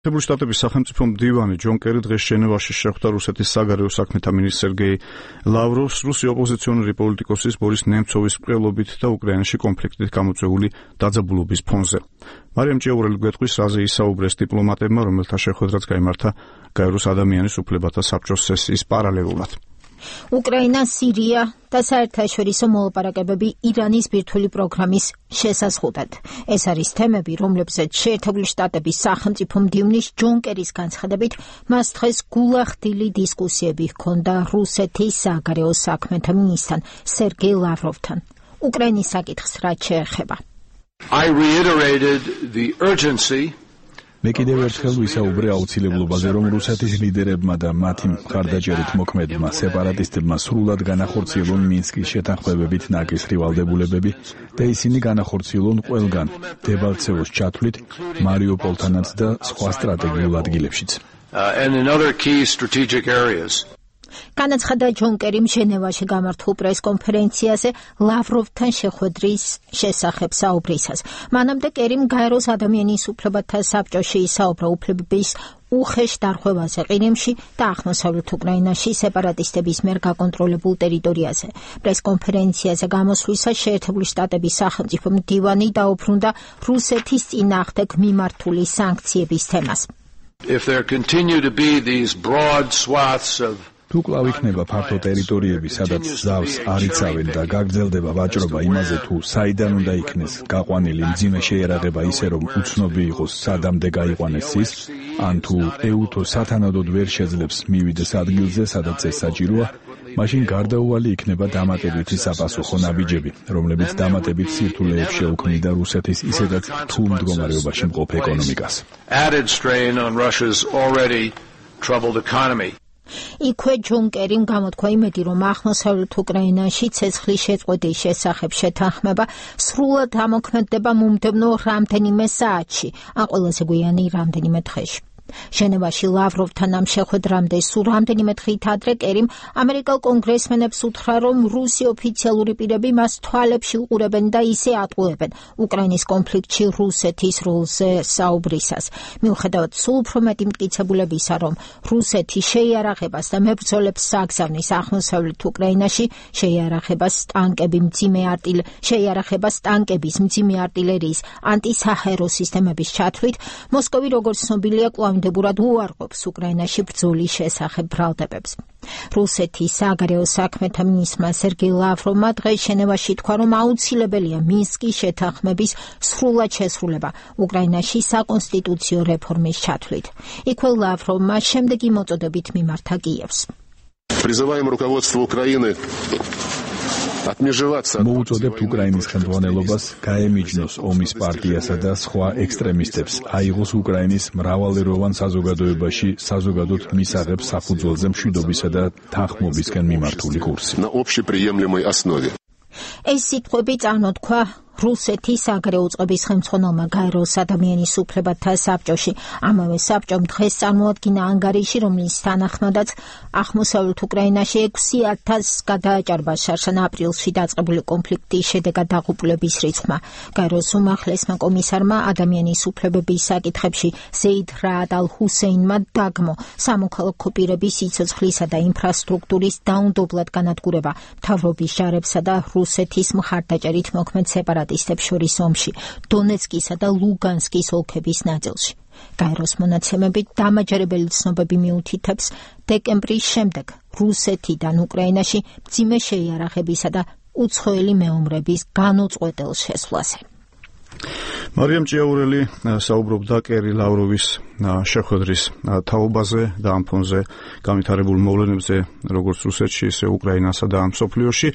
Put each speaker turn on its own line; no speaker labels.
შეერთებული შტატების სახელმწიფო მდივანი ჯონ კერი დღეს ჟენევაში შეხვდა რუსეთის საგარეო საქმეთა მინისტრ სერგეი ლავროვს რუსი ოპოზიციონერი პოლიტიკოსის ბორის ნემცოვის მკვლელობით და უკრაინაში კონფლიქტით გამოწვეული დაძაბულობის ფონზე. მარიამ ჭიაურელი გვეტყვის, რაზე ისაუბრეს დიპლომატებმა, რომელთა შეხვედრაც გაიმართა გაეროს ადამიანის უფლებათა საბჭოს სესიის პარალელურად.
უკრაინა, სირია და საერთაშორისო მოლაპარაკებები ირანის ბირთვული პროგრამის შესაზღუდად. ეს არის თემები, რომლებზეც შეერთებული შტატების სახელმწიფო მდივნის ჯონ კერის განცხადებით, მას დღეს გულახდილი დისკუსიები ჰქონდა რუსეთის საგარეო საქმეთა მინისტრთან სერგეი ლავროვთან. უკრაინის საკითხს რაც შეეხება.
I reiterated the urgency
მე კიდევ ერთხელ ვისაუბრე აუცილებლობაზე, რომ რუსეთის ლიდერებმა და მათი მხარდაჭერით მოქმედმა სეპარატისტებმა სრულად განახორციელონ მინსკის შეთანხმებებით ნაკისრი ვალდებულებები და ისინი განახორციელონ ყველგან, დებალცევოს ჩათვლით, მარიუპოლთანაც და სხვა სტრატეგიულ ადგილებშიც.
and in other key strategic areas.
განაცხადა ჯონ კერიმ ჟენევაში გამართულ პრესკონფერენციაზე ლავროვთან შეხვედრის შესახებ საუბრისას. მანამდე კერიმ გაეროს ადამიანის უფლებათა საბჭოში ისაუბრა უფლებების უხეშ დარღვევაზე ყირიმში და აღმოსავლეთ უკრაინაში სეპარატისტების მიერ გაკონტროლებულ ტერიტორიაზე. პრესკონფერენციაზე გამოსვლისას შეერთებული შტატების სახელმწიფო მდივანი დაუბრუნდა რუსეთის წინააღმდეგ მიმართული სანქციების თემას.
If there continue to be these broad swaths of
თუ კვლავ იქნება ფართო ტერიტორიები, სადაც ზავს არ იცავენ და გაგრძელდება ვაჭრობა იმაზე, თუ საიდან უნდა იქნეს გაყვანილი მძიმე შეიარაღება ისე, რომ უცნობი იყოს სადამდე გაიყვანეს ის, ან თუ ეუთო სათანადოდ ვერ შეძლებს მივიდეს ადგილზე, სადაც ეს საჭიროა, მაშინ გარდაუვალი იქნება დამატებითი საპასუხო ნაბიჯები, რომლებიც დამატებით სირთულეებს შეუქმნიდა რუსეთის ისედაც რთულ მდგომარეობაში მყოფ ეკონომიკას.
added strain on Russia's already troubled economy.
იქვე ჯონ კერიმ გამოთქვა იმედი, რომ აღმოსავლეთ უკრაინაში ცეცხლის შეწყვეტის შესახებ შეთანხმება სრულად ამოქმედდება მომდევნო რამდენიმე საათში, ან ყველაზე გვიანი რამდენიმე დღეში. ჟენევაში ლავროვთან ამ შეხვედრამდე სულ რამდენიმე დღით ადრე კერიმ ამერიკელ კონგრესმენებს უთხრა, რომ რუსი ოფიციალური პირები მას თვალებში უყურებენ და ისე ატყუებენ უკრაინის კონფლიქტში რუსეთის როლზე საუბრისას. მიუხედავად სულ უფრო მეტი მტკიცებულებისა, რომ რუსეთი შეიარაღებას და მებრძოლებს სააგზავნის აღმოსავლეთ უკრაინაში, შეიარაღებას ტანკების მძიმე არტილერიის ანტისაჰაერო სისტემების ჩათვლით, მოსკოვი როგორც ცნობილია დებურად უარყოფს უკრაინაში ბრძოლის შესახებ ბრალდებებს. რუსეთის საგარეო საქმეთა მინისტრმა სერგეი ლავროვმა დღეს ჟენევაში თქვა, რომ აუცილებელია მინსკის შეთანხმების სრულად შესრულება უკრაინაში საკონსტიტუციო რეფორმის ჩათვლით. იქვე ლავროვმა შემდეგი მოწოდებით მიმართა კიევს.
Призываем руководство Украины
მოუწოდებთ უკრაინის ხელმძღვანელობას გაემიჯნოს ომის პარტიასა და სხვა ექსტრემისტებს, აიღოს უკრაინის მრავალეროვან საზოგადოებაში საზოგადოდ მისაღებს საფუძველზე მშვიდობისა და თანხმობისკენ მიმართული კურსი.
ეს სიტყვები წარმოთქვა რუსეთის საგარეო წყობის ხელმძღვანელმა გაეროს ადამიანის უფლებათა საბჭოში. ამავე საბჭომ დღეს წარმოადგინა ანგარიში, რომლის თანახმადაც აღმოსავლეთ უკრაინაში 6,000 გადააჭარბა შარშან აპრილში დაწყებული კონფლიქტის შედეგად დაღუპულების რიცხვმა. გაეროს უმაღლესმა კომისარმა ადამიანის უფლებების საკითხებში ზეიდ რაად ალ-ჰუსეინმა დაგმო სამოქალაქო პირების სიცოცხლისა და ინფრასტრუქტურის დაუნდობლად განადგურება მთავრობის ჯარებსა და რუსეთის მხარდაჭერით მოქმედ სეპარატისტებს შორის ომში, დონეცკისა და ლუგანსკის ოლქების ნაწილში. გაეროს მონაცემებით დამაჯერებელი ცნობები მიუთითებს დეკემბრის შემდეგ რუსეთიდან უკრაინაში მძიმე შეიარაღებისა და უცხოელი მეომრების განუწყვეტელ შესვლაზე.
მარიამ ჭიაურელი საუბრობდა კერი ლავროვის შეხვედრის თაობაზე და ამ ფონზე განვითარებულ მოვლენებზე როგორც რუსეთში, ისე უკრაინასა და მსოფლიოში.